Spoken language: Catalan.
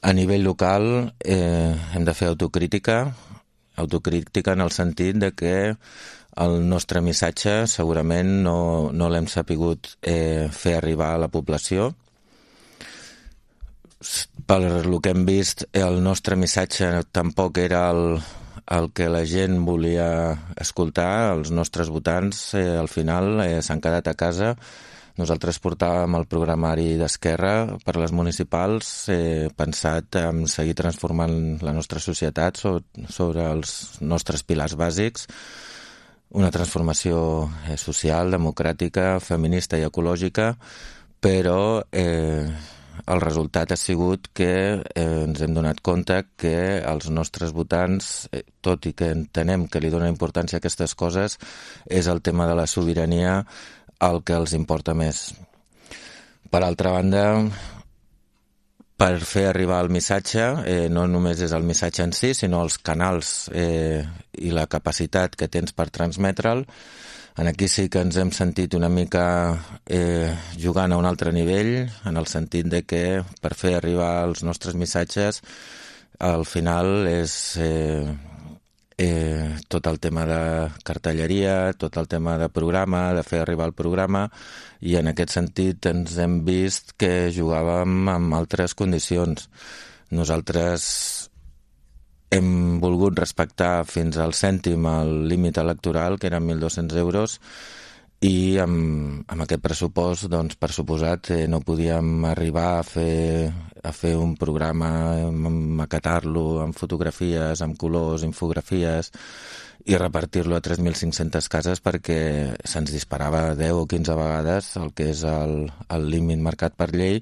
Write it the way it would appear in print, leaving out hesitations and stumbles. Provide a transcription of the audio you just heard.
A nivell local hem de fer autocrítica en el sentit de que el nostre missatge segurament no l'hem sapigut fer arribar a la població. Per lo que hem vist, el nostre missatge tampoc era el que la gent volia escoltar. Els nostres votants al final s'han quedat a casa. Nosaltres portàvem el programari d'Esquerra per les municipals pensat en seguir transformant la nostra societat sobre els nostres pilars bàsics, una transformació social, democràtica, feminista i ecològica, però el resultat ha sigut que ens hem donat compte que els nostres votants, tot i que entenem que li donen importància a aquestes coses, és el tema de la sobirania el que els importa més. Per altra banda, per fer arribar el missatge, no només és el missatge en si, sinó els canals i la capacitat que tens per transmetre'l. Aquí sí que ens hem sentit una mica jugant a un altre nivell, en el sentit de que per fer arribar els nostres missatges, al final és tot el tema de cartelleria, tot el tema de programa, de fer arribar el programa, i en aquest sentit ens hem vist que jugàvem amb altres condicions. Nosaltres hem volgut respectar fins al cèntim el límit electoral, que eren 1.200 euros, i amb aquest pressupost, doncs, per suposat, no podíem arribar a fer un programa, maquetar-lo amb fotografies, amb colors, infografies, i repartir-lo a 3.500 cases perquè se'ns disparava 10 o 15 vegades el que és el límit marcat per llei,